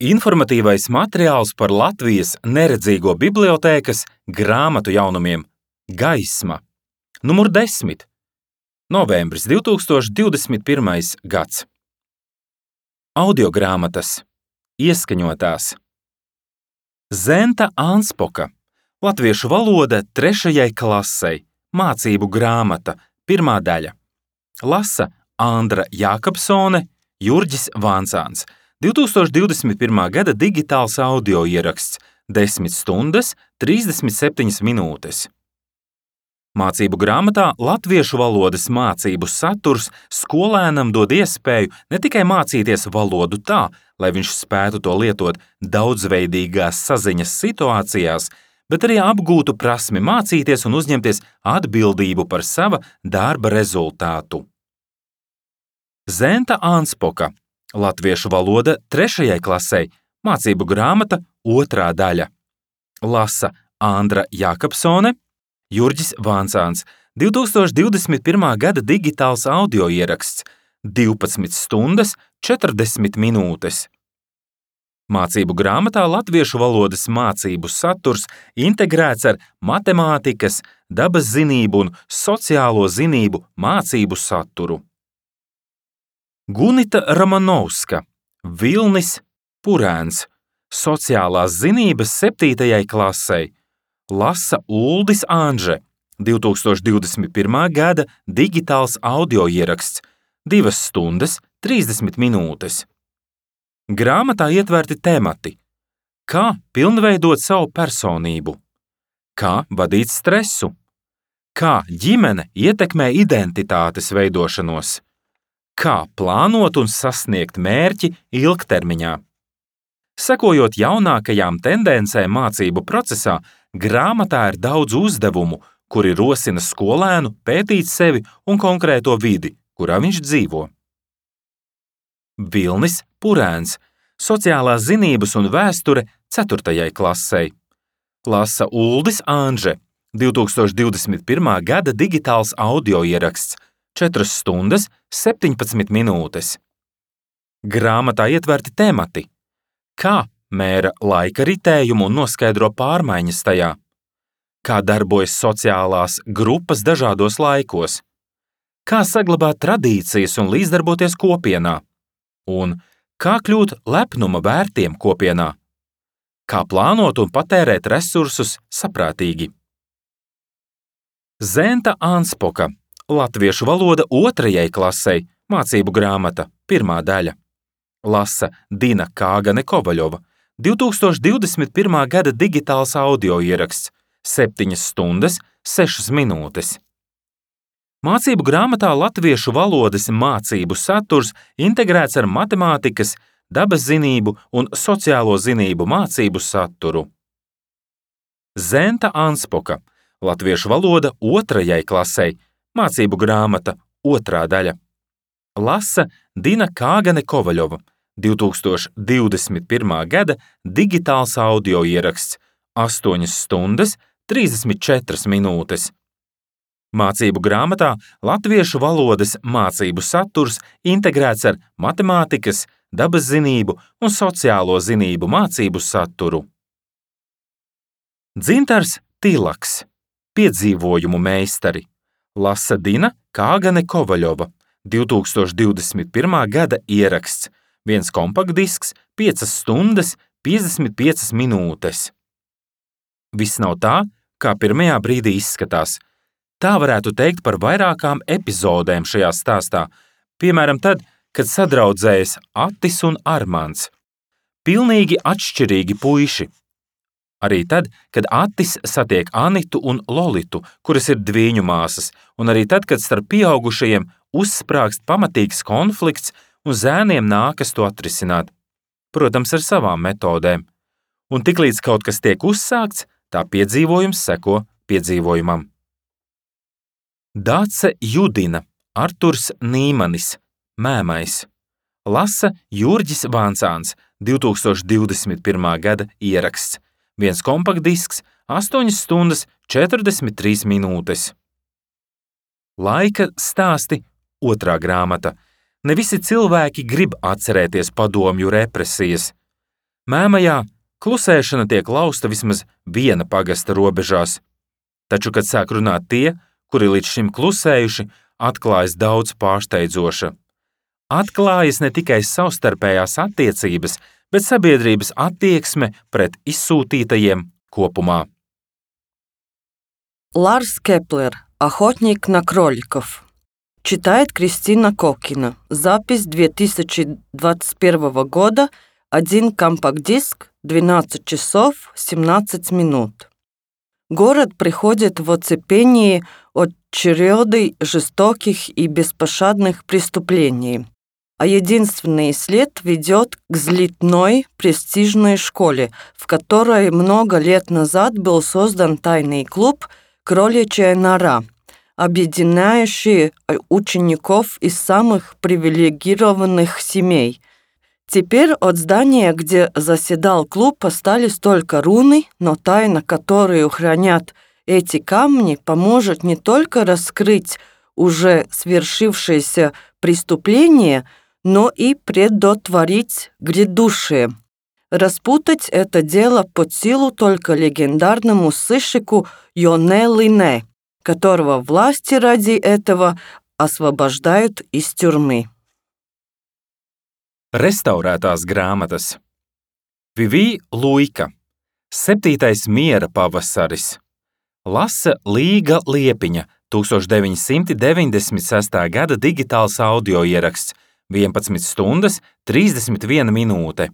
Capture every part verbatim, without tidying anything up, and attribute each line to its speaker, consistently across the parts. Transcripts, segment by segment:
Speaker 1: Informatīvais materiāls par Latvijas neredzīgo bibliotēkas grāmatu jaunumiem Gaisma. Numur desmit. Novembris divtūkstoš divdesmit pirmais gads. Audiogrāmatas. Ieskaņotās. Zenta Anspoka. Latviešu valoda trešajai klasei. Mācību grāmata. Pirmā daļa. Lasa Andra Jākapsone, Jurģis Vancāns. divtūkstoš divdesmit pirmā gada digitāls audio ieraksts. desmit stundas, trīsdesmit septiņas minūtes. Mācību grāmatā latviešu valodas mācību saturs skolēnam dod iespēju ne tikai mācīties valodu tā, lai viņš spētu to lietot daudzveidīgās saziņas situācijās, bet arī apgūtu prasmi mācīties un uzņemties atbildību par sava darba rezultātu. Zenta Anspoka. Latviešu valoda trešajai klasei. Mācību grāmata otrā daļa. Lasa Andra Jākapsone, Jurģis Vancāns. divtūkstoš divdesmit pirmā gada digitāls audio ieraksts. divpadsmit stundas, četrdesmit minūtes. Mācību grāmatā latviešu valodas mācību saturs integrēts ar matemātikas, dabas zinību un sociālo zinību mācību saturu. Gunita Ramanovska. Vilnis Purēns. Sociālās zinības septītajai klasei. Lasa Uldis Anže. divtūkstoš divdesmit pirmā gada digitāls audio ieraksts. divas stundas, trīsdesmit minūtes. Grāmatā ietverti temati. Kā pilnveidot savu personību? Kā vadīt stresu? Kā ģimene ietekmē identitātes veidošanos? Kā plānot un sasniegt mērķi ilgtermiņā? Sekojot jaunākajām tendencēm mācību procesā, grāmatā ir daudz uzdevumu, kuri rosina skolēnu pētīt sevi un konkrēto vidi, kurā viņš dzīvo. Vilnis Purēns. Sociālās zinības un vēsture ceturtajai klasei. Lasa Uldis Anže. divtūkstoš divdesmit pirmā gada digitāls audio ieraksts. četras stundas, septiņpadsmit minūtes. Grāmatā ietverti temati. Kā mēra laika ritējumu un noskaidro pārmaiņas tajā? Kā darbojas sociālās grupas dažādos laikos? Kā saglabāt tradīcijas un līdzdarboties kopienā? Un kā kļūt lepnuma vērtiem kopienā? Kā plānot un patērēt resursus saprātīgi? Zenta Anspoka. Latviešu valoda otrajai klasei. Mācību grāmata. Pirmā daļa. Lasa Dina Kāgane Kovaļova. divtūkstoš divdesmit pirmā gada digitāls audio ieraksts. septiņas stundas, sešas minūtes. Mācību grāmatā latviešu valodas mācību saturs integrēts ar matemātikas, dabas zinību un sociālo zinību mācību saturu. Zenta Anspoka. Latviešu valoda otrajai klasei. Mācību grāmata otrā daļa. Lasa Dina Kāgane Kovaļova. divtūkstoš divdesmit pirmā gada digitāls audio ieraksts. astoņas stundas, trīsdesmit četras minūtes. Mācību grāmatā latviešu valodas mācību saturs integrēts ar matemātikas, dabas zinību un sociālo zinību mācību saturu. Dzintars Tilaks. Piedzīvojumu meistari. Lasa Dina Kāgane Kovaļova. divtūkstoš divdesmit pirmā gada ieraksts. Viens kompaktdisks, piecas stundas, piecdesmit piecas minūtes. Viss nav tā, kā pirmajā brīdī izskatās. Tā varētu teikt par vairākām epizodēm šajā stāstā. Piemēram, tad, kad sadraudzējas Attis un Armands. Pilnīgi atšķirīgi puiši. Arī tad, kad Attis satiek Anitu un Lolitu, kuras ir dvīņu māsas, un arī tad, kad starp pieaugušajiem uzsprāgst pamatīgs konflikts un zēniem nākas to atrisināt. Protams, ar savām metodēm. Un tiklīdz kaut kas tiek uzsākts, tā piedzīvojums seko piedzīvojumam. Dace Judina. Arturs Nīmanis. Mēmais. Lasa Jurģis Vancāns. divtūkstoš divdesmit pirmā gada ieraksts. Viens kompaktdisks, astoņas stundas, četrdesmit trīs minūtes. Laika stāsti. Otrā grāmata. Ne visi cilvēki grib atcerēties padomju represijas. Mēmajā klusēšana tiek lausta vismaz viena pagasta robežās, taču, kad sāk runāt tie, kuri līdz šim klusējuši, atklājas daudz pārsteidzoša. Atklājas ne tikai savstarpējās attiecības, bet sabiedrības attieksme pret izsūtītajiem kopumā.
Speaker 2: Ларс Кеплер. Охотник на кроликов. Читает Кристина Кокина. Запись две тысячи двадцать первого года. Один компакт-диск. двенадцать часов семнадцать минут. Город приходит в оцепении от череды жестоких и беспощадных преступлений, а единственный след ведет к взлетной престижной школе, в которой много лет назад был создан тайный клуб «Кроличья нора», объединяющий учеников из самых привилегированных семей. Теперь от здания, где заседал клуб, остались только руны, но тайна, которую хранят эти камни, поможет не только раскрыть уже свершившееся преступление, но и предотвратить грядущее. Распутать это дело под силу только легендарному сыщику Йоне Лине, которого власти ради этого освобождают из тюрьмы.
Speaker 1: Restaurētās grāmatas. Vivī Luika. Septītais miera pavasaris. Lasa Līga Liepiņa. deviņdesmit gada digitāls audio ieraksts. vienpadsmit stundas trīsdesmit viena minūte.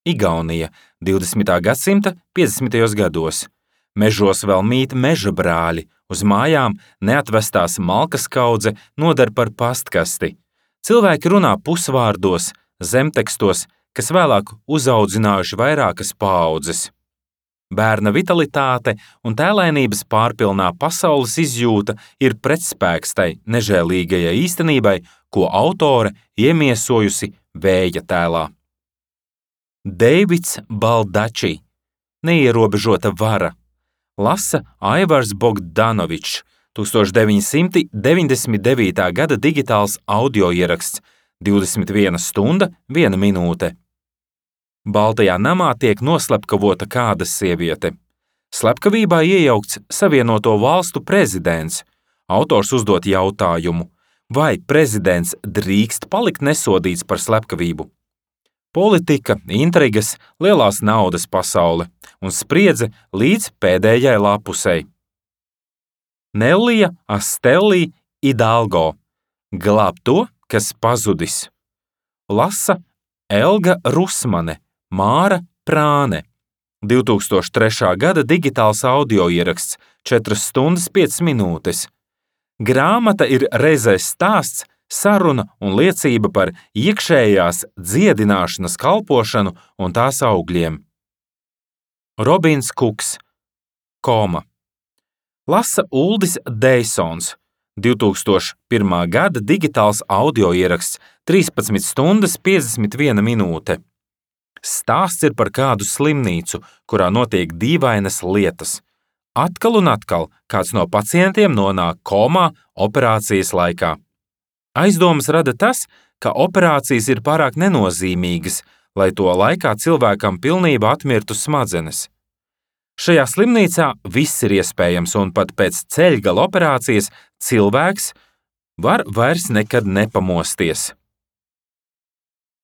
Speaker 1: Igaunija. divdesmitā gadsimta piecdesmitajos gados. Mežos vēl mīt meža brāļi. Uz mājām neatvestās malkas kaudze noder par pastkasti. Cilvēki runā pusvārdos, zemtekstos, kas vēlāk uzaudzinājuši vairākas paaudzes. Bērna vitalitāte un tēlainības pārpilnā pasaules izjūta ir pretspēks tai nežēlīgajai īstenībai, ko autore iemiesojusi vēja tēlā. Deivids Baldači. Neierobežota vara. Lasa Aivars Bogdanovičs. deviņdesmit devītā gada digitāls audio ieraksts. divdesmit viena stunda, viena minūte. Baltajā namā tiek noslepkavota kāda sieviete. Slepkavībā iejaukts Savienoto Valstu prezidents. Autors uzdot jautājumu, vai prezidents drīkst palikt nesodīts par slepkavību. Politika, intrigas, lielās naudas pasaule un spriedze līdz pēdējai lapusei. Nellija Astellī Idalgo. Glāb to, kas pazudis. Lasa Elga Rusmane. Māra Prāne. divtūkstoš trešā gada digitāls audio ieraksts. četras stundas piecas minūtes. Grāmata ir reizē stāsts, saruna un liecība par iekšējās dziedināšanas kalpošanu un tās augļiem. Robins Kuks. Koma. Lasa Uldis Deisons. divtūkstoš pirmā gada digitāls audio ieraksts. trīspadsmit stundas piecdesmit viena minūte. Stāsts ir par kādu slimnīcu, kurā notiek dīvainas lietas. Atkal un atkal kāds no pacientiem nonāk komā operācijas laikā. Aizdomas rada tas, ka operācijas ir pārāk nenozīmīgas, lai to laikā cilvēkam pilnībā atmirtu smadzenes. Šajā slimnīcā viss ir iespējams, un pat pēc ceļgala operācijas cilvēks var vairs nekad nepamosties.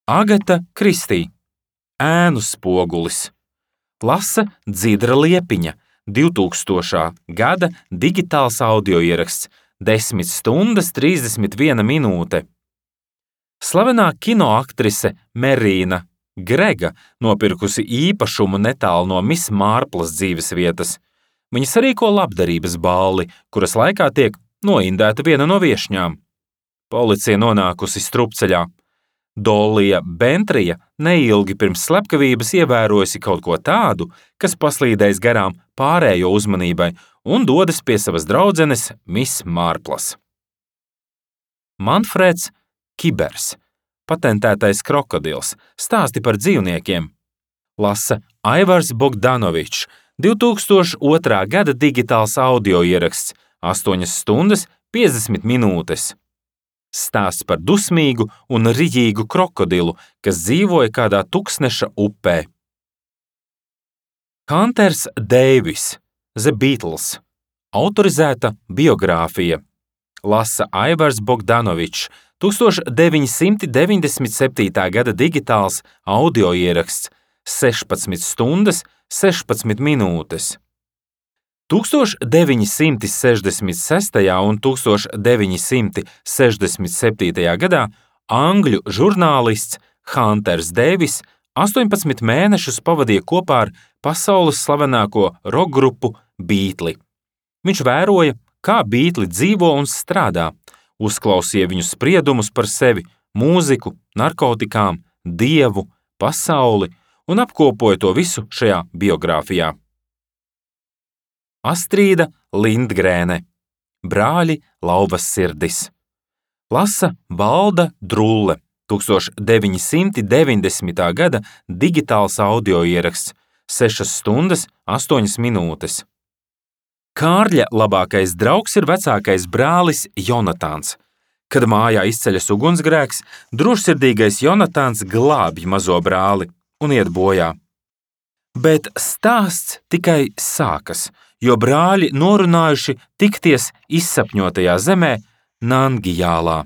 Speaker 1: Agata Kristī. Ēnu spogulis. Lasa Dzidra Liepiņa. divtūkstošā gada digitāls audio ieraksts. desmit stundas trīsdesmit viena minūte. Slavenā kinoaktrise Merīna Grega nopirkusi īpašumu netālu no Miss Mārplas dzīves vietas. Viņa sarīko labdarības balli, kuras laikā tiek noindēta viena no viešņām. Policija nonākusi strupceļā. Dolija Bentrija neilgi pirms slepkavības ievērojusi kaut ko tādu, kas paslīdējis garām pārējo uzmanībai un dodas pie savas draudzenes Miss Mārplas. Manfreds Kibers. Patentētais krokodils. Stāsti par dzīvniekiem. Lasa Aivars Bogdanovičs. divtūkstoš otrā gada digitāls audio ieraksts. astoņas stundas piecdesmit minūtes. Stāsts par dusmīgu un riģīgu krokodilu, kas dzīvoja kādā tuksneša upē. Hunters Deivis, The Beatles, autorizēta biogrāfija. Lasa Aivars Bogdanovičs, deviņpadsmit deviņdesmit septītā gada digitāls audioieraksts, sešpadsmit stundas, sešpadsmit minūtes. deviņpadsmit sešdesmit sestajā un deviņpadsmit sešdesmit septītajā gadā angļu žurnālists Hunters Deivis astoņpadsmit mēnešus pavadīja kopā ar pasaules slavenāko rokgrupu Beatli. Viņš vēroja, kā Beatli dzīvo un strādā, uzklausīja viņu spriedumus par sevi, mūziku, narkotikām, dievu, pasauli un apkopoja to visu šajā biogrāfijā. Astrīda Lindgrēne, Brāļi Lauvas sirdis. Lasa Valda Drulle, deviņpadsmit deviņdesmitā gada digitāls audioieraksts, sešas stundas, astoņas minūtes. Kārļa labākais draugs ir vecākais brālis Jonatāns. Kad mājā izceļas ugunsgrēks, drošsirdīgais Jonatāns glābj mazo brāli un iet bojā. Bet stāsts tikai sākas, jo brāļi norunājuši tikties izsapņotajā zemē Nangijālā.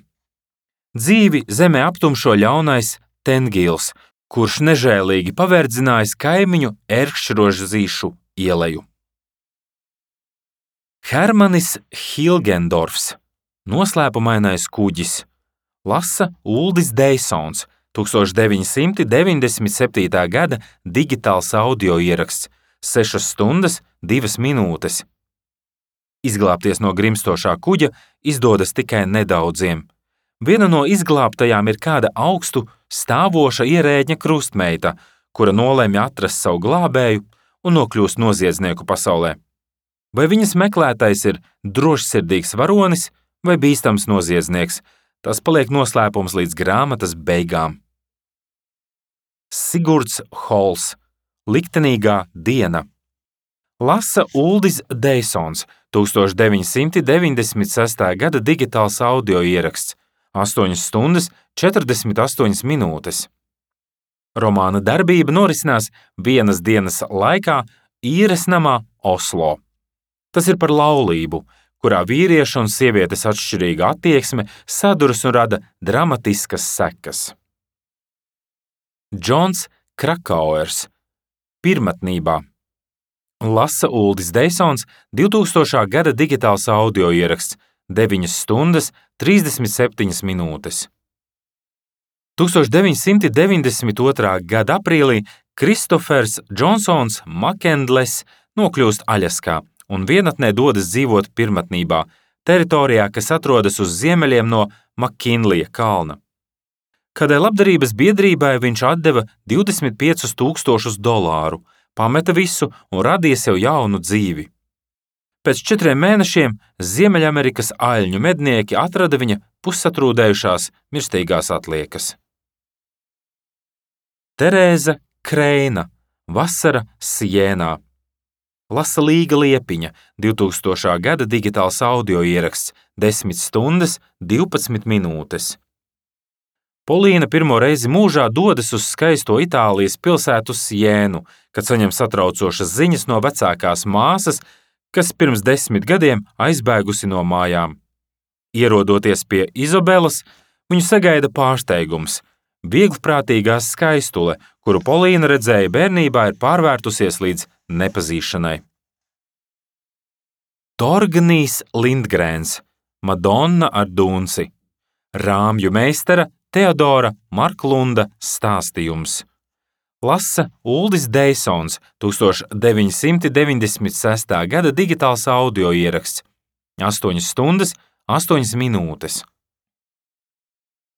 Speaker 1: Dzīvi zemē aptumšo ļaunais Tengils, kurš nežēlīgi paverdzinājis kaimiņu Erkšrožzīšu ieleju. Hermanis Hilgendorfs, Noslēpumainais kuģis. Lasa Uldis Deisons, deviņpadsmit deviņdesmit septītā gada digitāls audioieraksts, sešas stundas, divas minūtes. Izglābties no grimstošā kuģa izdodas tikai nedaudziem. Viena no izglābtajām ir kāda augstu stāvoša ierēģņa krustmeita, kura nolemj atrast savu glābēju un nokļūst noziedznieku pasaulē. Vai viņas meklētais ir drošsirdīgs varonis vai bīstams noziedznieks, tas paliek noslēpums līdz grāmatas beigām. Sigurds Hols, Liktenīgā diena. Lasa Uldis Deisons, deviņpadsmit deviņdesmit sestā gada digitāls audioieraksts, astoņas stundas, četrdesmit astoņas minūtes. Romāna darbība norisinās vienas dienas laikā īres namā Oslo. Tas ir par laulību, kurā vīrieša un sievietes atšķirīga attieksme saduras un rada dramatiskas sekas. Džons Krakauers, Pirmatnībā. Lasa Uldis Deisons, divtūkstošā gada digitāls audioieraksts, deviņas stundas, trīsdesmit septiņas minūtes. deviņpadsmit deviņdesmit otrā gada aprīlī Kristofers Džonsons Makendles nokļūst Aļaskā un vienatnē dodas dzīvot Pirmatnībā, teritorijā, kas atrodas uz ziemeļiem no Makinlija kalna. Kādai labdarības biedrībai viņš atdeva divdesmit piecus tūkstošus dolāru, pameta visu un radīja sev jaunu dzīvi. Pēc četriem mēnešiem Ziemeļamerikas aļņu mednieki atrada viņa pussatrūdējušās mirstīgās atliekas. Terēza Kreina, Vasara Sienā. Lasa Līga Liepiņa, divtūkstošā gada digitāls audioieraksts, desmit stundas, divpadsmit minūtes. Polīna pirmo reizi mūžā dodas uz skaisto Itālijas pilsētu Sienu, kad saņem satraucošas ziņas no vecākās māsas, kas pirms desmit gadiem aizbēgusi no mājām. Ierodoties pie Izobelas, viņu sagaida pārsteigums. Vieglprātīgā skaistule, kuru Polīna redzēja bērnībā, ir pārvērtusies līdz nepazīšanai. Torgnijs Lindgrēns, Madonna ar Dunci. Rāmju meistara Teodora Marklunda stāstījums. Lasa Uldis Deisons, deviņpadsmit deviņdesmit sestā gada digitāls audioieraksts, astoņas stundas, astoņas minūtes.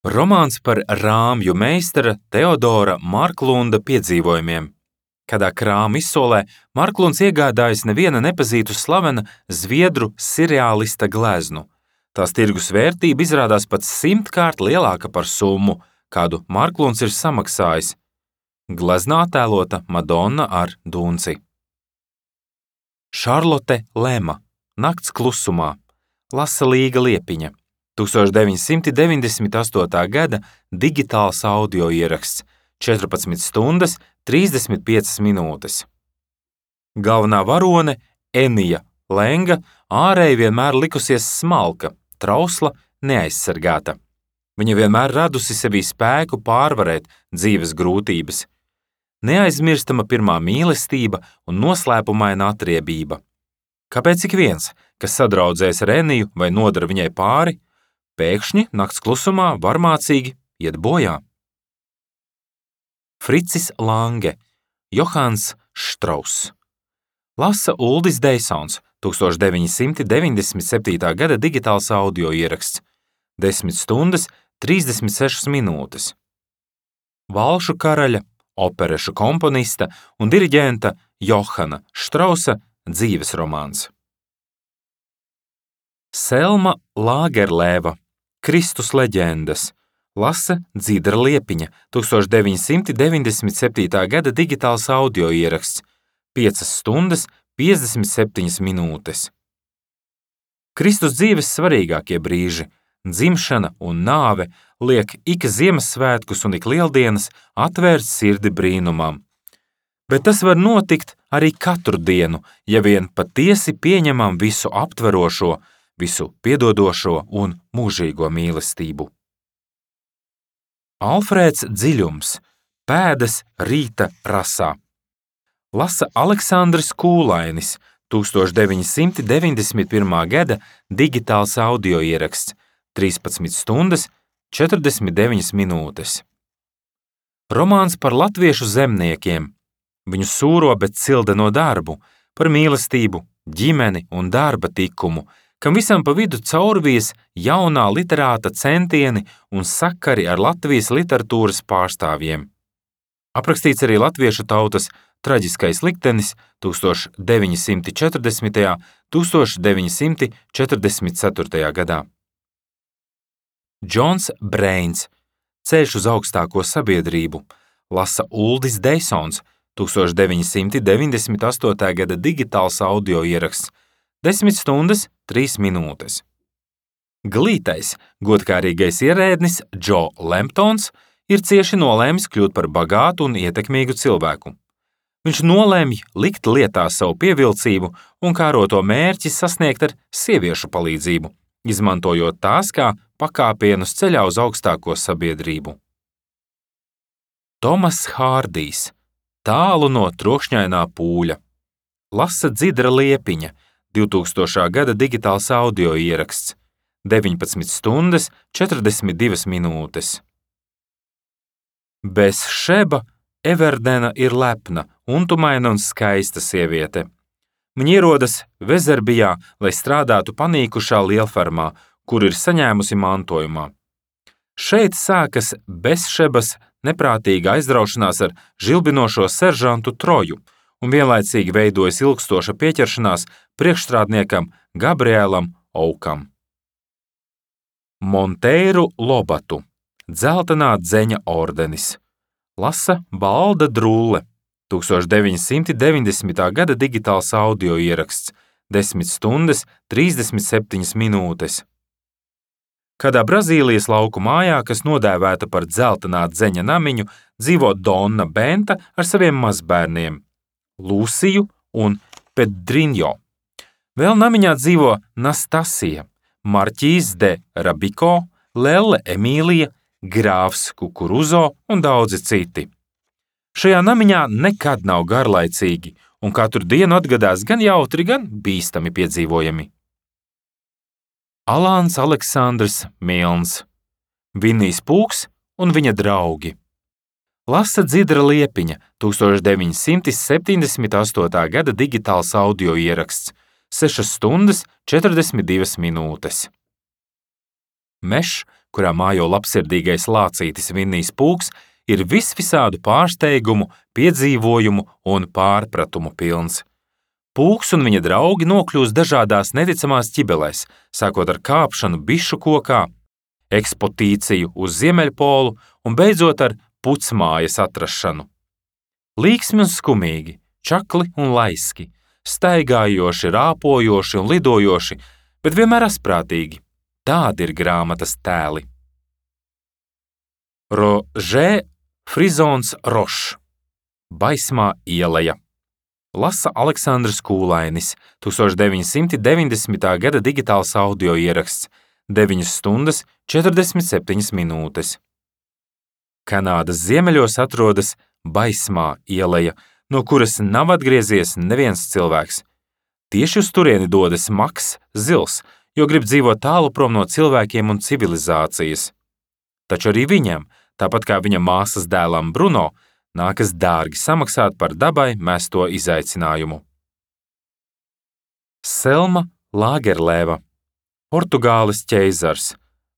Speaker 1: Romāns par rāmju meistara Teodora Marklunda piedzīvojumiem. Kādā krāma izsolē Marklunds iegādājas neviena nepazītu slavena zviedru seriālista gleznu. Tās tirgus vērtība izrādās pat simtkārt lielāka par summu, kādu Marklunds ir samaksājis. Gleznā attēlota Madonna ar Dunci. Šarlote Lema, Nakts klusumā. Lasa Līga Liepiņa. deviņpadsmit deviņdesmit astotā gada digitāls audioieraksts, četrpadsmit stundas, trīsdesmit piecas minūtes. Galvenā varone Enija Lenga ārēji vienmēr likusies smalka, trausla, neaizsargāta. Viņa vienmēr radusi sevī spēku pārvarēt dzīves grūtības. Neaizmirstama pirmā mīlestība un noslēpumaina atriebība. Kāpēc ik viens, kas sadraudzēs ar Eniju vai nodara viņai pāri, pēkšņi nakts klusumā varmācīgi iet bojā? Fricis Lange, Johans Štrauss. Lasa Uldis Deisons, tūkstoš deviņi simti deviņdesmit septītā gada digitāls audio ieraksts, desmit stundas, trīsdesmit sešas minūtes. Valšu karaļa, operešu komponista un diriģenta Johana Štrausa dzīves romāns. Selma Lagerlēva, Kristus leģendas. Lasa Dzidra Liepiņa, tūkstoš deviņi simti deviņdesmit septītā gada digitāls audio ieraksts, piecas stundas, piecdesmit septiņas minūtes. Kristus dzīves svarīgākie brīži, dzimšana un nāve, liek ik Ziemassvētkus un ik Lieldienas atvērt sirdi brīnumam. Bet tas var notikt arī katru dienu, ja vien patiesi pieņemam visu aptverošo, visu piedodošo un mūžīgo mīlestību. Alfrēds Dziļums, Pēdas rīta rasā. Lasa Aleksandrs Kūlainis, tūkstoš deviņi simti deviņdesmit pirmā gada digitāls audio ieraksts, trīspadsmit stundas, četrdesmit deviņas minūtes. Romāns par latviešu zemniekiem, viņu sūro, bet cildeno darbu, par mīlestību, ģimeni un darba tikumu, kam visam pa vidu caurvies jaunā literāta centieni un sakari ar Latvijas literatūras pārstāvjiem. Aprakstīts arī latviešu tautas traģiskais liktenis tūkstoš deviņi simti četrdesmitajā - tūkstoš deviņi simti četrdesmit ceturtajā gadā. Džons Breins, Ceļš uz augstāko sabiedrību, lasa Uldis Deisons, tūkstoš deviņi simti deviņdesmit astotā gada digitāls audio ieraksts, desmit stundas, trīs minūtes. Glītais, godkārīgais ierēdnis Džo Lemptons ir cieši nolēmis kļūt par bagātu un ietekmīgu cilvēku. Viņš nolēmj likt lietā savu pievilcību un kāroto mērķi sasniegt ar sieviešu palīdzību, izmantojot tās kā pakāpienus ceļā uz augstāko sabiedrību. Tomas Hārdijs, Tālu no trokšņainā pūļa. Lasa Dzidra Liepiņa, divtūkstošā gada digitāls audio ieraksts, deviņpadsmit stundas, četrdesmit divas minūtes. Bezšeba Everdena ir lepna, untumaina un skaista sieviete. Viņa ierodas Vezerbijā, lai strādātu panīkušā lielfermā, kur ir saņēmusi mantojumā. Šeit sākas Bezšebas neprātīga aizraušanās ar žilbinošo seržantu Troju un vienlaicīgi veidojas ilgstoša pieķeršanās priekšstrādniekam Gabrielam Aukam. Monteiru Lobatu, Dzeltenā dzeņa ordenis. Lasa Balda Drulle, tūkstoš deviņi simti deviņdesmitā gada digitāls audio ieraksts, desmit stundas, trīsdesmit septiņas minūtes. Kādā Brazīlijas lauku mājā, kas nodēvēta par Dzeltenā dzeņa namiņu, dzīvo Donna Benta ar saviem mazbērniem Lūsiju un Pedriņo. Vēl namiņā dzīvo Nastasija, Marķīs de Rabiko, Lelle Emīlija, Grāfs Kukuruzo un daudzi citi. Šajā namiņā nekad nav garlaicīgi, un katru dienu atgadās gan jautri, gan bīstami piedzīvojami. Alāns Aleksandrs Milns, Vinnijs Pūks un viņa draugi. Lasa Dzidra Liepiņa, tūkstoš deviņi simti septiņdesmit astotā gada digitāls audio ieraksts, sešas stundas, četrdesmit divas minūtes. Mešs, kurā mājo labsirdīgais lācītis Vinnijs Pūks, ir visvisādu pārsteigumu, piedzīvojumu un pārpratumu pilns. Pūks un viņa draugi nokļūst dažādās neticamās ķibelēs, sākot ar kāpšanu bišu kokā, ekspotīciju uz Ziemeļpolu un beidzot ar pucmājas atrašanu. Līksmi un skumīgi, čakli un laiski, staigājoši, rāpojoši un lidojoši, bet vienmēr asprātīgi. Tādi ir grāmatas tēli. Rožē Frizons Rošs, Baismā ieleja. Lasa Aleksandrs Kūlainis, tūkstoš deviņi simti deviņdesmitā gada digitāls audio ieraksts, deviņas stundas četrdesmit septiņas minūtes. Kanādas ziemeļos atrodas Baismā ieleja, no kuras nav atgriezies neviens cilvēks. Tieši uz turieni dodas Maks Zils, jo grib dzīvot tālu prom no cilvēkiem un civilizācijas. Taču arī viņam, tāpat kā viņa māsas dēlam Bruno, nākas dārgi samaksāt par dabai mesto izaicinājumu. Selma Lagerlēva, Portugāles ķeizars,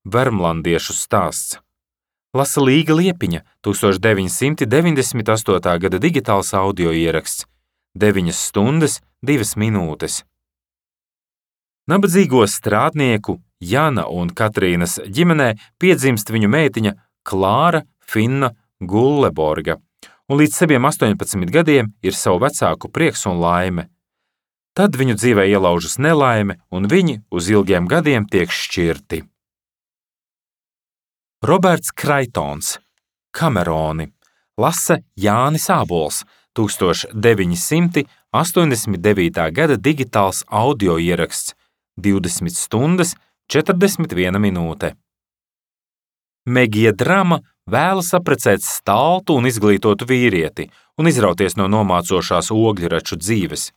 Speaker 1: vermlandiešu stāsts. Lasa Līga Liepiņa, tūkstoš deviņi simti deviņdesmit astotā gada digitāls audio ieraksts, deviņas stundas divas minūtes. Nabadzīgo strādnieku Jana un Katrīnas ģimenē piedzimst viņu meitiņa Klāra Finna Gulleborga, un līdz saviem astoņpadsmit gadiem ir savu vecāku prieks un laime. Tad viņu dzīvē ielaužas nelaime, un viņi uz ilgiem gadiem tiek šķirti. Roberts Kraitons, Kameroni, lasa Jānis Ābols, tūkstoš deviņi simti astoņdesmit devītā gada digitāls audio ieraksts, divdesmit stundas četrdesmit viena minūte. Megija Drama vēlas apprecēt staltu un izglītotu vīrieti un izrauties no nomācošās ogļraču dzīves.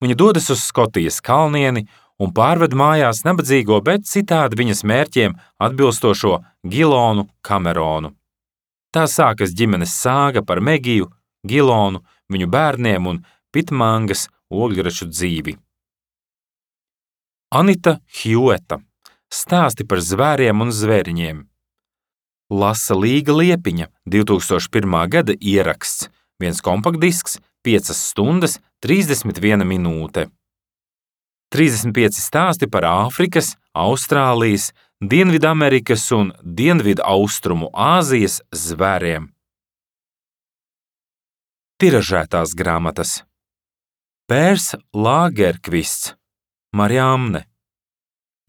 Speaker 1: Viņa dodas uz Skotijas kalnieni un pārved mājās nabadzīgo, bet citādi viņas mērķiem atbilstošo Gilonu Kameronu. Tā sākas ģimenes sāga par Megiju, Gilonu, viņu bērniem un Pitmangas ogļraču dzīvi. Anita Hjūeta, stāsti par zvēriem un zvēriņiem. Lasa Līga Liepiņa, divi tūkstoši pirmā gada ieraksts, viens kompaktdisks, piecas stundas, trīsdesmit viena minūte. trīsdesmit pieci stāsti par Āfrikas, Austrālijas, Dienvidamerikas un Dienvidaustrumu Āzijas zvēriem. Tiražētās grāmatas. Pērs Lāgerkvists, Mariamne.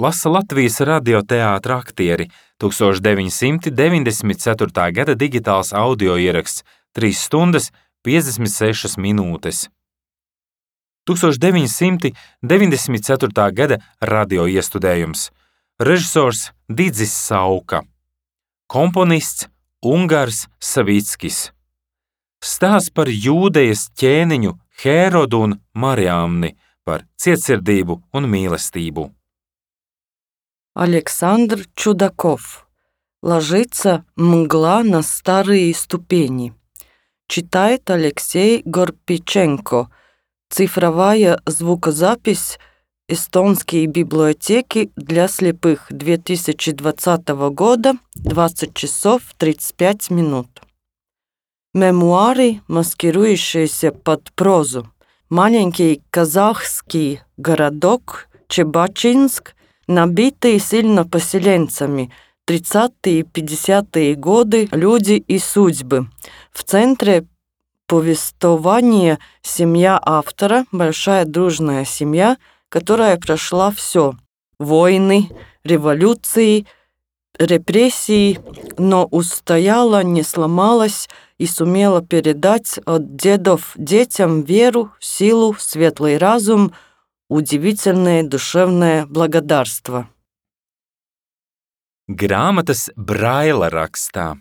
Speaker 1: Lasa Latvijas radioteātra aktieri, tūkstoš deviņi simti deviņdesmit ceturtā gada digitāls audio ieraksts, trīs stundas, piecdesmit sešas minūtes. tūkstoš deviņi simti deviņdesmit ceturtā gada radio iestudējums. Režisors Didzis Sauka. Komponists Ungars Savickis. Stāsts par Jūdejas ķēniņu Hērodu un Mariamni, par cietsirdību un mīlestību.
Speaker 2: Александр Чудаков. Ложится мгла на старые ступени. Читает Алексей Горпиченко. Цифровая звукозапись «Эстонские библиотеки для слепых» две тысячи двадцатого года, двадцать часов тридцать пять минут. Мемуары, маскирующиеся под прозу. Маленький казахский городок Чебачинск, набитый сильно поселенцами, тридцатые и пятидесятые годы люди и судьбы. В центре повествования семья автора, большая дружная семья, которая прошла все – войны, революции, репрессии, но устояла, не сломалась и сумела передать от дедов детям веру, силу, светлый разум, удивительное душевное благодарство.
Speaker 1: Grāmatas Braila rakstā.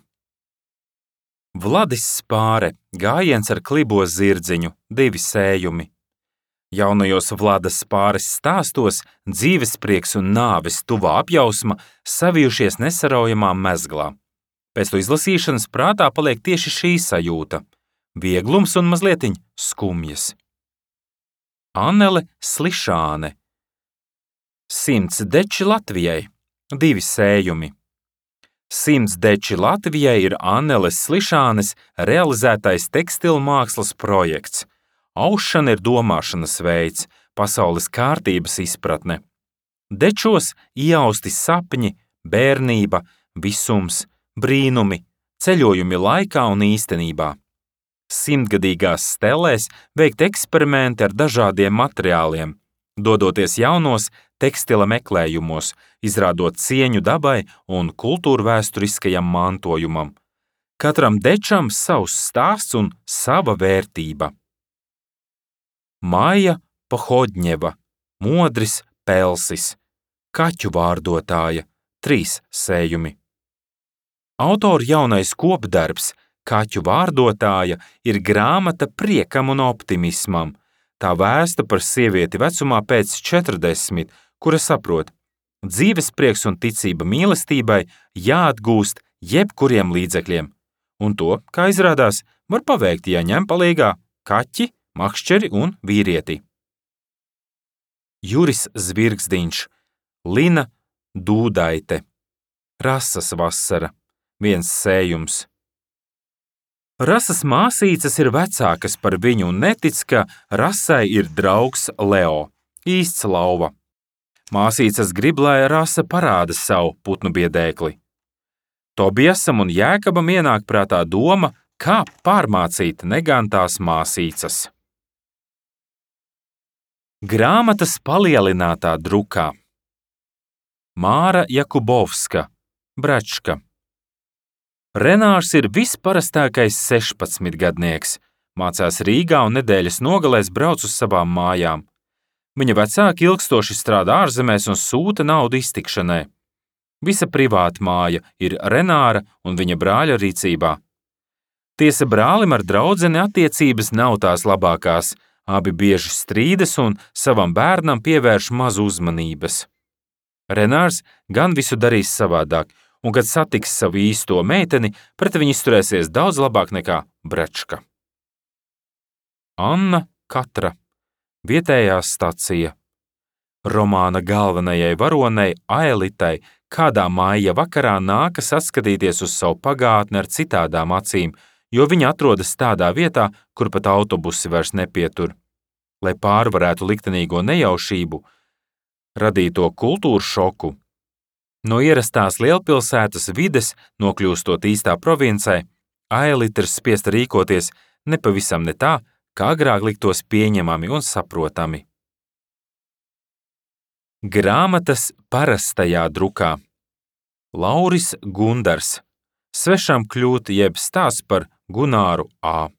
Speaker 1: Vladis Spāre, gājiens ar klibo zirdziņu, divi sējumi. Jaunajos Vladas Spāres stāstos dzīvesprieks un nāves tuvā apjausma savijušies nesaraujamā mezglā. Pēc to izlasīšanas prātā paliek tieši šī sajūta – vieglums un mazlietiņ skumjas. Annele Slišāne. Simts deči Latvijai, divi sējumi. Simts deči Latvijai ir Anneles Slišānes realizētais tekstilmākslas projekts. Aušana ir domāšanas veids, pasaules kārtības izpratne. Dečos iausti sapņi, bērnība, visums, brīnumi, ceļojumi laikā un īstenībā. Simtgadīgās stelēs veikt eksperimenti ar dažādiem materiāliem, dodoties jaunos tekstila meklējumos, izrādot cieņu dabai un kultūrvēsturiskajam mantojumam. Katram dečam savs stāsts un sava vērtība. Maija Pohodņeva, Modris Pelsis, Kaķu vārdotāja, trīs sējumi. Autora jaunais kopdarbs Kaķu vārdotāja ir grāmata priekam un optimismam. Tā vēsta par sievieti vecumā pēc četrdesmit, kura saprot, dzīves prieks un ticība mīlestībai jāatgūst jebkuriem līdzekļiem. Un to, kā izrādās, var paveikt, ja ņem palīgā kaķi, makšķeri un vīrieti. Juris Zvirgzdiņš, Lina Dūdaite, Rasas vasara, viens sējums. Rasas māsīcas ir vecākas par viņu un netic, ka Rasai ir draugs Leo, īsts lauva. Māsīcas grib, lai Rasa parāda savu putnu biedēkli. Tobiasam un Jēkabam ienāk prātā doma, kā pārmācīt negantās māsīcas. Grāmatas palielinātā drukā. Māra Jakubovska, Bračka. Renārs ir visparastākais sešpadsmitgadnieks, mācās Rīgā un nedēļas nogalēs brauc uz savām mājām. Viņa vecāki ilgstoši strādā ārzemēs un sūta naudu iztikšanai. Visa privāta māja ir Renāra un viņa brāļa rīcībā. Tiesa brālim ar draudzeni attiecības nav tās labākās, abi bieži strīdas un savam bērnam pievērš maz uzmanības. Renārs gan visu darīs savādāk, un, kad satiks savu īsto meiteni, pret viņu izturēsies daudz labāk nekā Bračka. Anna Katra, vietējā stacija. Romāna galvenajai varonei Aelitai kādā maija vakarā nākas atskatīties uz savu pagātni ar citādām acīm, jo viņa atrodas tādā vietā, kur pat autobusi vairs nepietur. Lai pārvarētu liktenīgo nejaušību, radīto kultūru šoku, no ierastās lielpilsētas vides, nokļūstot īstā provincē, Aelita ir spiesta rīkoties nepavisam ne tā, kā agrāk liktos pieņemami un saprotami. Grāmatas parastajā drukā. Lauris Gundars, Svešam kļūt jeb stāsts par Gunāru A.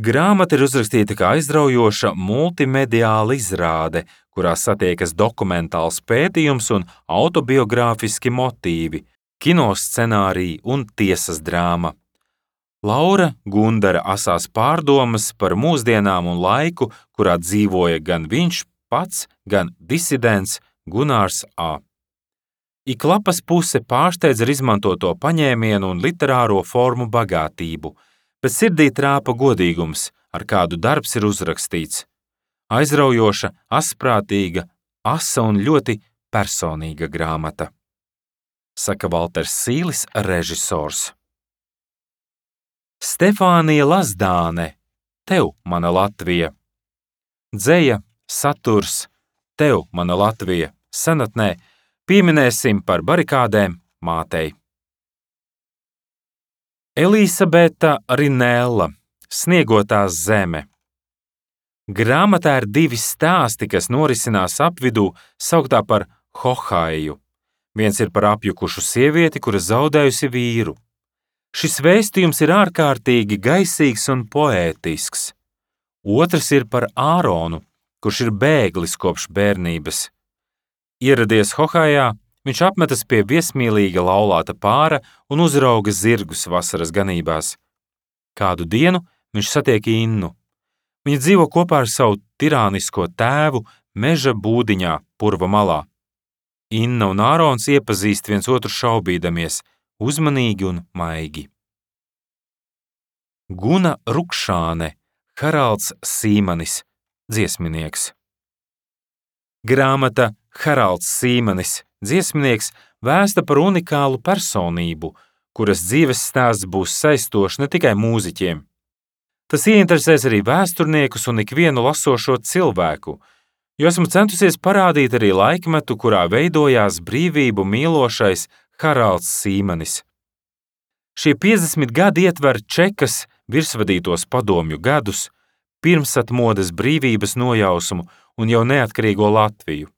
Speaker 1: Grāmata ir uzrakstīta kā aizraujoša multimediāla izrāde, kurā satiekas dokumentāls pētījums un autobiogrāfiski motīvi, kinoscenāriji un tiesas drāma. Laura Gundara asās pārdomas par mūsdienām un laiku, kurā dzīvoja gan viņš pats, gan disidents Gunārs A. Ik lapas puse pārsteidz ar izmantoto paņēmienu un literāro formu bagātību, bet sirdī trāpa godīgums, ar kādu darbs ir uzrakstīts. Aizraujoša, asprātīga, asa un ļoti personīga grāmata, saka Valters Sīlis, režisors. Stefānija Lazdāne, Tev, mana Latvija. Dzeja, saturs, Tev, mana Latvija, senatnē, pieminēsim par barikādēm mātei. Elisabeta Rinella, Sniegotā zeme. Grāmatā ir divi stāsti, kas norisinās apvidū, sauktā par Hohaiju. Viens ir par apjukušu sievieti, kura zaudējusi vīru. Šis vēstījums ir ārkārtīgi gaisīgs un poētisks. Otrs ir par Āronu, kurš ir bēglis kopš bērnības. Ieradies Hohaijā, viņš apmetas pie viesmīlīga laulāta pāra un uzrauga zirgus vasaras ganībās. Kādu dienu viņš satiek Innu. Viņa dzīvo kopā ar savu tirānisko tēvu meža būdiņā, purva malā. Inna un Ārons iepazīst viens otru šaubīdamies, uzmanīgi un maigi. Guna Rukšāne, Haralds Sīmanis, dziesminieks. Grāmata Haralds Sīmanis, dziesminieks, vēsta par unikālu personību, kuras dzīves stāsts būs saistošs ne tikai mūziķiem. Tas ieinteresēs arī vēsturniekus un ikvienu lasošo cilvēku, jo esmu centusies parādīt arī laikmetu, kurā veidojās brīvību mīlošais Haralds Sīmanis. Šie piecdesmit gadi ietver Čekas virsvadītos padomju gadus, pirmsatmodes brīvības nojausumu un jau neatkarīgo Latviju.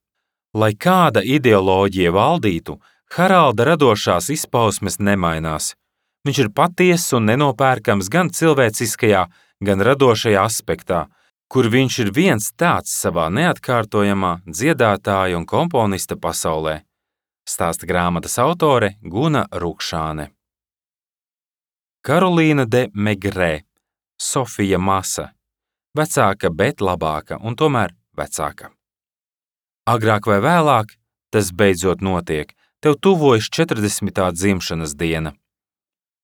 Speaker 1: Lai kāda ideoloģija valdītu, Haralda radošās izpausmes nemainās. Viņš ir patiess un nenopērkams gan cilvēciskajā, gan radošajā aspektā, kur viņš ir viens tāds savā neatkārtojamā dziedātāja un komponista pasaulē, stāsta grāmatas autore Guna Rukšāne. Karolīna de Megrē, Sofija Masa, vecāka, bet labāka un tomēr vecāka. Agrāk vai vēlāk tas beidzot notiek, tev tuvojas četrdesmitā dzimšanas diena.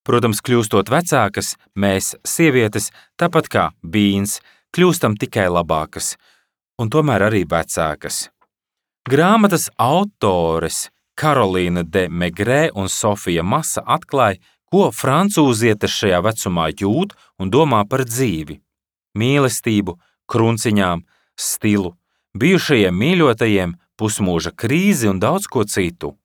Speaker 1: Protams, kļūstot vecākas, mēs, sievietes, tāpat kā Bīns, kļūstam tikai labākas, un tomēr arī vecākas. Grāmatas autores Karolīna de Megrē un Sofija Masa atklāja, ko francūzietes šajā vecumā jūt un domā par dzīvi, mīlestību, krunciņām, stilu, bijušajiem mīļotajiem, pusmūža krīzi un daudz ko citu.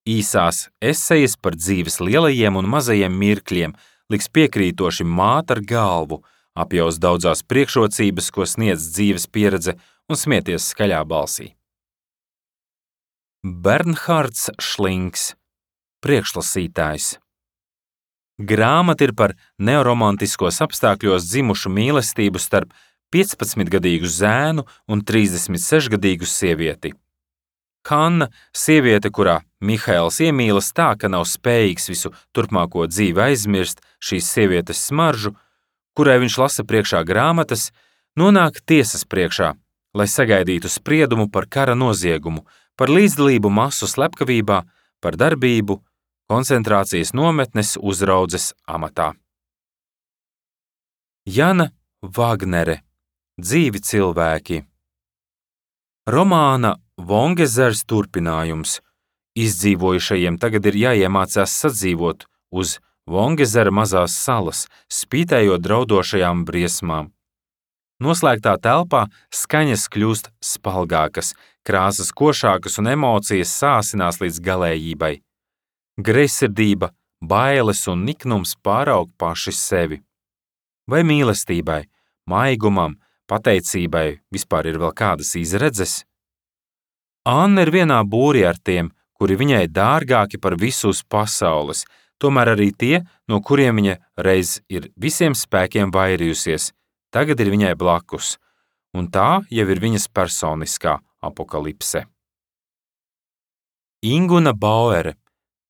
Speaker 1: Īsās esejas par dzīves lielajiem un mazajiem mirkļiem liks piekrītoši māt ar galvu, apjaus daudzās priekšrocības, ko sniedz dzīves pieredze un smieties skaļā balsī. Bernhards Šlinks, priekšlasītājs. Grāmata ir par neoromantiskos apstākļos dzimušu mīlestību starp piecpadsmitgadīgu zēnu un trīsdesmitsešgadīgu sievieti. Hanna, sieviete, kurā Mihails iemīlas tā, ka nav spējīgs visu turpmāko dzīvi aizmirst šīs sievietes smaržu, kurai viņš lasa priekšā grāmatas, nonāk tiesas priekšā, lai sagaidītu spriedumu par kara noziegumu, par līdzdalību masu slepkavībā, par darbību koncentrācijas nometnes uzraudzes amatā. Jana Vagnere, Dzīvi cilvēki. Romāna Vongezers turpinājums. Izdzīvojušajiem tagad ir jāiemācās sadzīvot uz Vongezera mazās salas, spītējot draudošajām briesmām. Noslēgtā telpā skaņas kļūst spalgākas, krāsas košākas un emocijas sāsinās līdz galējībai. Greizsirdība, bailes un niknums pāraug paši sevi. Vai mīlestībai, maigumam, pateicībai vispār ir vēl kādas izredzes? Anna ir vienā būrī ar tiem, kuri viņai dārgāki par visu uz pasaules, tomēr arī tie, no kuriem viņa reiz ir visiem spēkiem vairījusies, tagad ir viņai blakus, un tā jau ir viņas personiskā apokalipse. Inguna Bauere,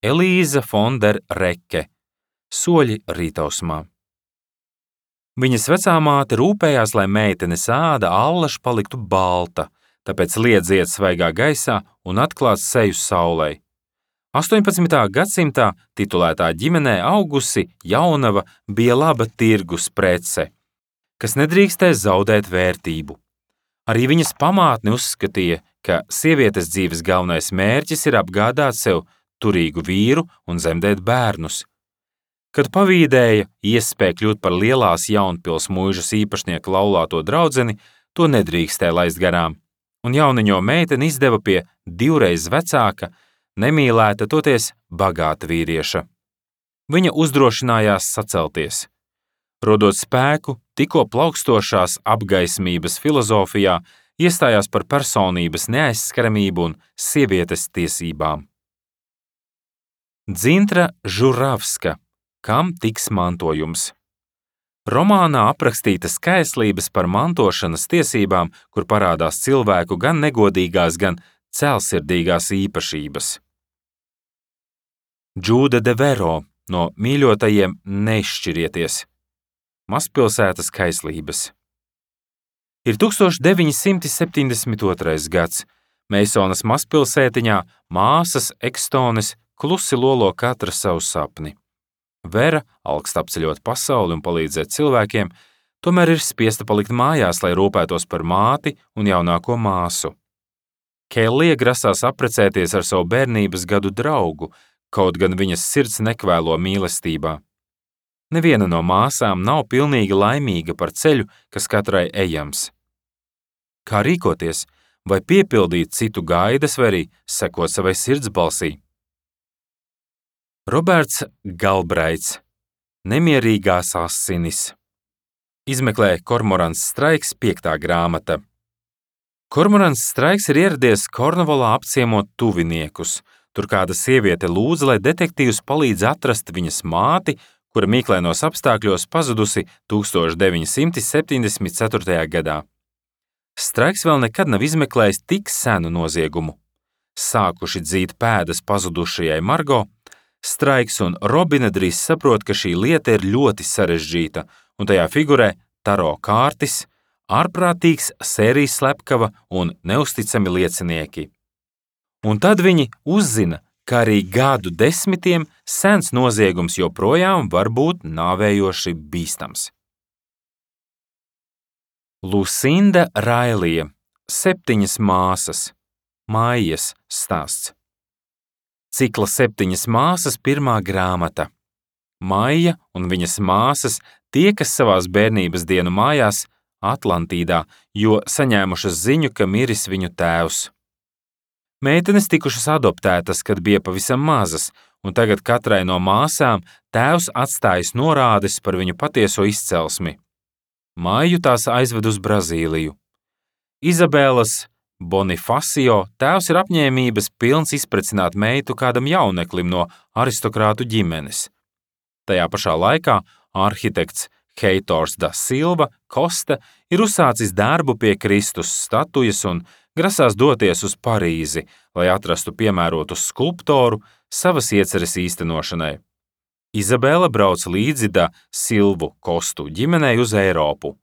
Speaker 1: Elīza von der Recke, Soļi rītausmā. Viņas vecā māte rūpējās, lai meitenes āda allaž paliktu balta, tāpēc liedziet svaigā gaisā un atklāt seju saulei. astoņpadsmitā gadsimtā titulētā ģimenē augusi jaunava bija laba tirgus prece, kas nedrīkstēja zaudēt vērtību. Arī viņas pamātne uzskatīja, ka sievietes dzīves galvenais mērķis ir apgādāt sev turīgu vīru un zemdēt bērnus. Kad pavīdēja iespēja kļūt par lielās Jaunpils mūžas īpašnieka laulāto draudzeni, to nedrīkstēja laist garām, un jauniņo meiteni izdeva pie divreiz vecāka, nemīlēta toties bagāta vīrieša. Viņa uzdrošinājās sacelties. Rodot spēku, tikko plaukstošās apgaismības filozofijā, iestājās par personības neaizskaramību un sievietes tiesībām. Dzintra Žuravska, Kam tiks mantojums? Romānā aprakstītas kaislības par mantošanas tiesībām, kur parādās cilvēku gan negodīgās, gan cēlsirdīgās īpašības. Džūda de Vero, no mīļotajiem neizšķirieties. Mazpilsētas kaislības. Ir tūkstoš deviņi simti septiņdesmit otrais gads. Meisonas mazpilsētiņā māsas Ekstones klusi lolo katra savu sapni. Vera alkst apceļot pasauli un palīdzēt cilvēkiem, tomēr ir spiesta palikt mājās, lai rūpētos par māti un jaunāko māsu. Kellija grasās apprecēties ar savu bērnības gadu draugu, kaut gan viņas sirds nekvēlo mīlestībā. Neviena no māsām nav pilnīgi laimīga par ceļu, kas katrai ejams. Kā rīkoties, vai piepildīt citu gaidas, vai arī sekot savai sirds balsī? Roberts Galbraits, Nemierīgās asinis. Izmeklē Kormorants Straiks piektā grāmata. Kormorants Straiks ir ieradies Kornvolā apciemot tuviniekus. Tur kāda sieviete lūdza, lai detektīvs palīdz atrast viņas māti, kura mīklainos apstākļos pazudusi tūkstoš deviņi simti septiņdesmit ceturtajā gadā. Straiks vēl nekad nav izmeklējis tik senu noziegumu. Sākuši dzīt pēdas pazudušajai Margo, Straiks un Robina drīz saprot, ka šī lieta ir ļoti sarežģīta, un tajā figurē taro kārtis, ārprātīgs sērijas slepkava un neusticami liecinieki. Un tad viņi uzzina, ka arī gadu desmitiem sens noziegums joprojām var būt nāvējoši bīstams. Lusinda Railija, septiņas māsas, Maijas stāsts. Cikla septiņas māsas pirmā grāmata. Maija un viņas māsas tiekas savās bērnības dienu mājās Atlantīdā, jo saņēmušas ziņu, ka miris viņu tēvs. Meitenes tikušas adoptētas, kad bija pavisam mazas, un tagad katrai no māsām tēvs atstājis norādes par viņu patieso izcelsmi. Maiju tās aizved uz Brazīliju. Izabēlas Bonifacio tēvs ir apņēmības pilns izprecināt meitu kādam jauneklim no aristokrātu ģimenes. Tajā pašā laikā arhitekts Heitors da Silva Kosta ir uzsācis darbu pie Kristus statujas un grasās doties uz Parīzi, lai atrastu piemērotu skulptoru savas ieceres īstenošanai. Izabela brauc līdzi da Silvu Kostu ģimenei uz Eiropu.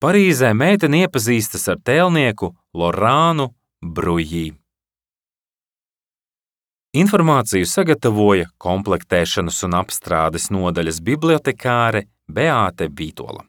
Speaker 1: Parīzē meitene iepazīstas ar tēlnieku Lorānu Brujī. Informāciju sagatavoja komplektēšanas un apstrādes nodaļas bibliotekāre Beāte Vītola.